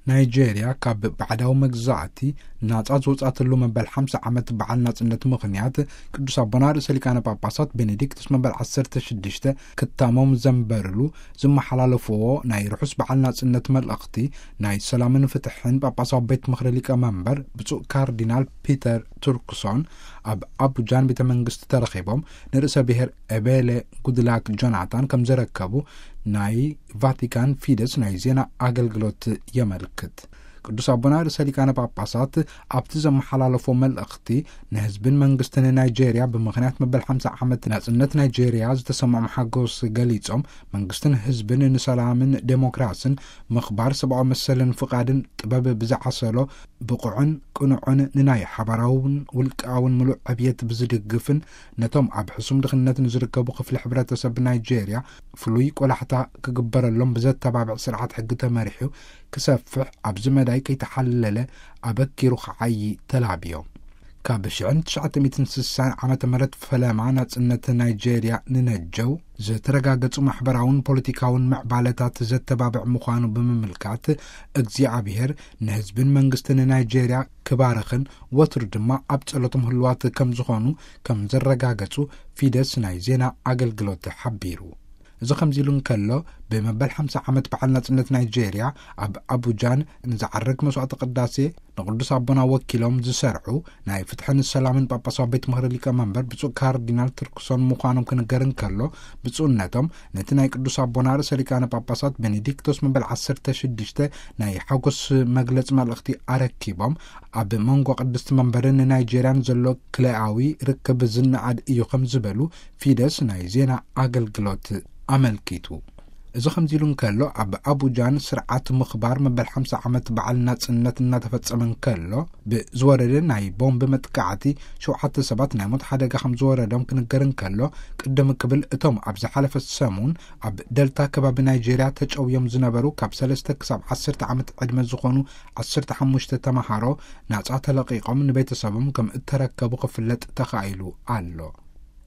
ናይጄርያ ካብ ባዕዳዊ መግዛእቲ ናጻ ዝወጻትሉ መበል ሓምሳ ዓመት በዓል ናጽነት ምኽንያት፣ ቅዱስ ኣቦና ርእሰ ሊቃነ ጳጳሳት ቤኔዲክቱስ መበል ዓሰርተ ሽዱሽተ ክታሞም ዘንበርሉ ዝመሓላለፍዎ ናይ ርሑስ በዓል ናጽነት መልእኽቲ፣ ናይ ሰላምን ፍትሕን ጳጳሳዊ ቤት ምኽሪ ሊቀ መንበር ብፁዕ ካርዲናል ፒተር ቱርክሶን ኣብ ኣቡጃን ቤተ መንግስቲ ተረኺቦም ንርእሰ ብሔር ኤቤለ ጉድላክ ጆናታን ከም ዘረከቡ ናይ ቫቲካን ፊደስ ናይ ዜና ኣገልግሎት የመልክት። ቅዱስ ኣቦና ርእሰ ሊቃነ ጳጳሳት ኣብቲ ዘመሓላለፎ መልእኽቲ፣ ንህዝብን መንግስትን ናይጄርያ ብምኽንያት መበል ሓምሳ ዓመት ናጽነት ናይጄርያ ዝተሰምዖም ሓጎስ ገሊጾም፣ መንግስትን ህዝብን ንሰላምን ዴሞክራስን፣ ምኽባር ሰብኣዊ መሰልን ፍቓድን ጥበብ ብዝዓሰሎ ብቑዕን ቅኑዕን ንናይ ሓባራውን ውልቃውን ምሉእ ዕብየት ብዝድግፍን፣ ነቶም ኣብ ሕሱም ድኽነት ንዝርከቡ ክፍሊ ሕብረተሰብ ናይጄርያ ፍሉይ ቆላሕታ ክግበረሎም ብዘተባብዕ ስርዓት ሕጊ ተመሪሑ ክሰፍሕ፣ ኣብዚ መዳይ ከይተሓለለ ኣበኪሩ ክዓዪ ተላብዮ። ካብ ሽሕን ትሽዓተ ሚእትን ስሳን ዓመተ ምህረት ፈለማ ናጽነት ናይጄርያ ንነጀው ዝተረጋገጹ ማሕበራውን ፖለቲካውን ምዕባለታት ዘተባብዕ ምዃኑ ብምምልካት፣ እግዚኣብሔር ንህዝብን መንግስትን ናይጄርያ ክባርኽን ወትሩ ድማ ኣብ ጸሎቶም ህልዋት ከም ዝኾኑ ከም ዘረጋገጹ ፊደስ ናይ ዜና ኣገልግሎት ሓቢሩ። እዚ ከምዚ ኢሉ እንከሎ፣ ብመበል ሓምሳ ዓመት በዓል ናጽነት ናይጄርያ ኣብ ኣቡጃን ንዝዓርግ መስዋዕተ ቅዳሴ ንቅዱስ ኣቦና ወኪሎም ዝሰርዑ ናይ ፍትሕን ሰላምን ጳጳሳዊ ቤት ምኽሪ ሊቀ መንበር ብፁዕ ካርዲናል ቱርክሶን ምዃኖም ክንገር እንከሎ፣ ብፁዕነቶም ነቲ ናይ ቅዱስ ኣቦና ርእሰ ሊቃነ ጳጳሳት ቤኔዲክቶስ መበል ዓሰርተ ሽዱሽተ ናይ ሓጎስ መግለጺ መልእኽቲ ኣረኪቦም፣ ኣብ መንጎ ቅድስቲ መንበርን ናይጄርያን ዘሎ ክልኣዊ ርክብ ዝነኣድ እዩ ከም ዝበሉ ፊደስ ናይ ዜና ኣገልግሎት ኣመልኪቱ። እዚ ከምዚ ኢሉ እንከሎ፣ ኣብ ኣቡጃን ስርዓት ምኽባር መበል ሓምሳ ዓመት በዓል ናጽነት እናተፈጸመ እንከሎ፣ ብዝወረደ ናይ ቦምብ መጥቃዕቲ ሸውዓተ ሰባት ናይ ሞት ሓደጋ ከም ዝወረዶም ክንገር እንከሎ፣ ቅድም ክብል እቶም ኣብ ዝሓለፈ ሰሙን ኣብ ደልታ ከባቢ ናይጄርያ ተጨውዮም ዝነበሩ ካብ ሰለስተ ክሳብ ዓሰርተ ዓመት ዕድመ ዝኾኑ ዓሰርተ ሓሙሽተ ተማሃሮ ናጻ ተለቒቖም ንቤተሰቦም ከም እተረከቡ ክፍለጥ ተኻኢሉ ኣሎ።